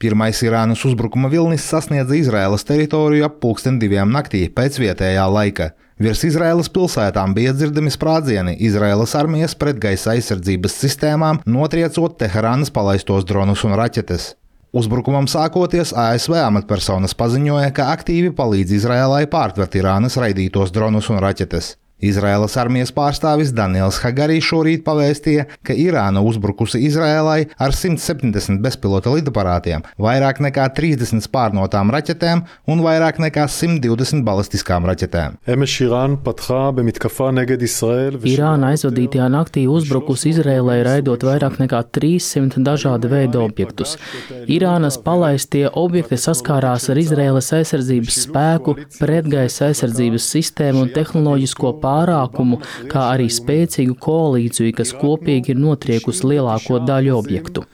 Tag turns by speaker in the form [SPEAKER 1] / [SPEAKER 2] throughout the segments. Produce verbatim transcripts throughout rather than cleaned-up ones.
[SPEAKER 1] Pirmais Irānas uzbrukuma vilnis sasniedza Izraēlas teritoriju ap pulksten diviem naktī pēc vietējā laika. Virs Izraēlas pilsētām bija dzirdami sprādzieni Izraēlas armijas pretgaisa aizsardzības sistēmām, notriecot Teherānas palaistos dronus un raķetes. Uzbrukumam sākoties, A S V amatpersonas paziņoja, ka aktīvi palīdz Izraēlai pārtvert Irānas raidītos dronus un raķetes. Izraēlas armijas pārstāvis Daniels Hagari šorīt pavēstīja, ka Irāna uzbrukusi Izraēlai ar simt septiņdesmit bezpilota lidaparātiem, vairāk nekā trīsdesmit spārnotām raķetēm un vairāk nekā simt divdesmit balistiskām raķetēm.
[SPEAKER 2] Irāna aizvadītajā naktī uzbrukusi Izraēlai, raidot vairāk nekā trīssimt dažāda veida objektus. Irānas palaistie objekti saskārās ar Izraēlas aizsardzības spēku, pretgaisa aizsardzības sistēmu un tehnoloģisko pārākumu, kā arī spēcīgu koalīciju, kas kopīgi ir notriekusi lielāko daļu objektu.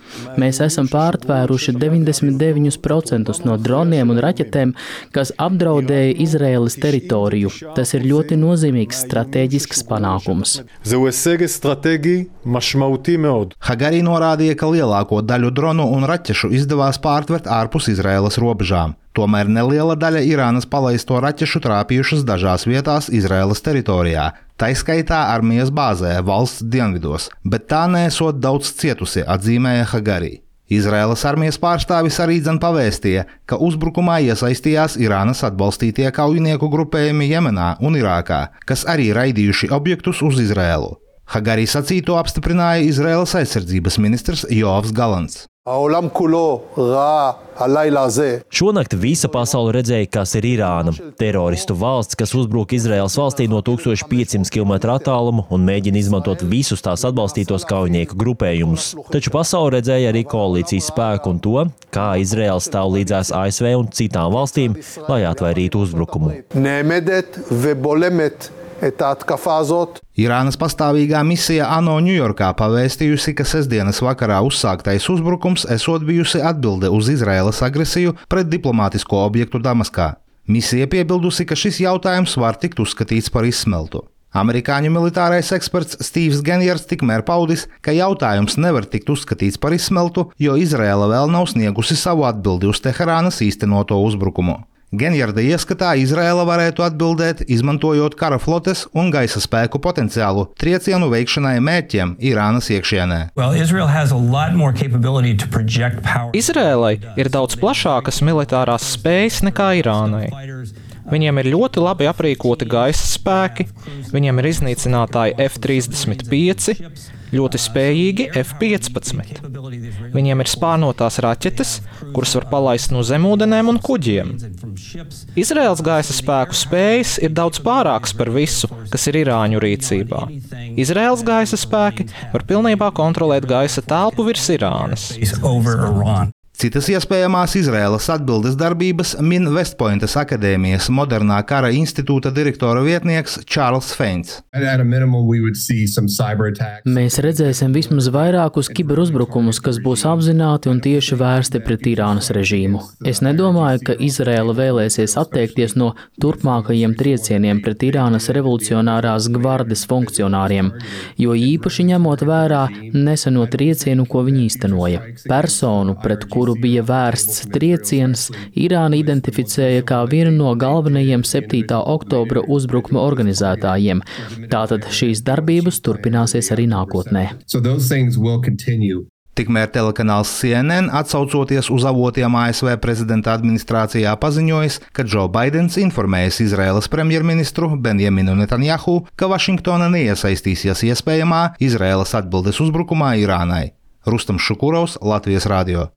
[SPEAKER 2] Mēs esam pārtvēruši deviņdesmit deviņus procentus no droniem un raķetēm, kas apdraudēja Izraēlas teritoriju. Tas ir ļoti nozīmīgs stratēģisks panākums.
[SPEAKER 1] Hagari norādīja, ka lielāko daļu dronu un raķešu izdevās pārtvert ārpus Izraēlas robežām. Tomēr neliela daļa Irānas palaisto raķešu trāpījušas dažās vietās Izraēlas teritorijā, taiskaitā armijas bāzē valsts dienvidos, bet tā nesot daudz cietusi, atzīmēja Hagari. Izraēlas armijas pārstāvis arī dzen pavēstīja, ka uzbrukumā iesaistījās Irānas atbalstītie kaujinieku grupējumi Jemenā un Irākā, kas arī raidījuši objektus uz Izraēlu. Hagari sacīto apstiprināja Izraēlas aizsardzības ministrs Joavs Galants.
[SPEAKER 3] Šonakt visa pasaule redzēja, kas ir Irāna. Teroristu valsts, kas uzbruk Izraēlas valstī no tūkstoš piecsimt kilometru attālumu un mēģina izmantot visus tās atbalstītos kaujinieku grupējumus. Taču pasaule redzēja arī koalīcijas spēku un to, kā Izraēla stāv līdzās A S V un citām valstīm, lai atvairītu uzbrukumu.
[SPEAKER 1] Irānas pastāvīgā misija ANO Ņujorkā pavēstījusi, ka sestdienas vakarā uzsāktais uzbrukums esot bijusi atbilde uz Izraēlas agresiju pret diplomātisko objektu Damaskā. Misija piebildusi, ka šis jautājums var tikt uzskatīts par izsmeltu. Amerikāņu militārais eksperts Stīvs Genjers tikmēr paudis, ka jautājums nevar tikt uzskatīts par izsmeltu, jo Izraēla vēl nav sniegusi savu atbildi uz Teherānas īstenoto uzbrukumu. Genjarda ieskatā Izraēla varētu atbildēt, izmantojot kara flotes un gaisa spēku potenciālu triecienu veikšanai mērķiem Irānas iekšienē.
[SPEAKER 4] Izraēlai ir daudz plašākas militārās spējas nekā Irānai. Viņiem ir ļoti labi aprīkoti gaisa spēki, viņiem ir iznīcinātāji F trīsdesmit pieci, ļoti spējīgi F piecpadsmit. Viņiem ir spārnotās raķetes, kuras var palaist no zemūdenēm un kuģiem. Izraēlas gaisa spēku spējas ir daudz pārākas par visu, kas ir irāņu rīcībā. Izraēlas gaisa spēki var pilnībā kontrolēt gaisa telpu virs Irānas.
[SPEAKER 1] Citas iespējamās Izraēlas atbildes darbības min Vestpointas akadēmijas modernā kara institūta direktora vietnieks Čārls Feins.
[SPEAKER 2] Mēs redzēsim vismaz vairākus kiberuzbrukumus, kas būs apzināti un tieši vērsti pret Irānas režīmu. Es nedomāju, ka Izraēla vēlēsies atteikties no turpmākajiem triecieniem pret Irānas revolucionārās gvardes funkcionāriem, jo īpaši ņemot vērā neseno triecienu, ko viņi īstenoja. Personu, pret kuru kuru bija vērsts trieciens, Irāna identificēja kā vienu no galvenajiem septītā oktobra uzbrukuma organizētājiem. Tātad šīs darbības turpināsies arī nākotnē.
[SPEAKER 1] Tikmēr telekanāls C N N, atsaucoties uz avotiem A S V prezidenta administrācijā, paziņojis, ka Džo Baidens informējis Izraēlas premjerministru Benjaminu Netanjahu, ka Vašingtona neiesaistīsies iespējamā Izraēlas atbildes uzbrukumā Irānai. Rustam Šukurovs, Latvijas radio.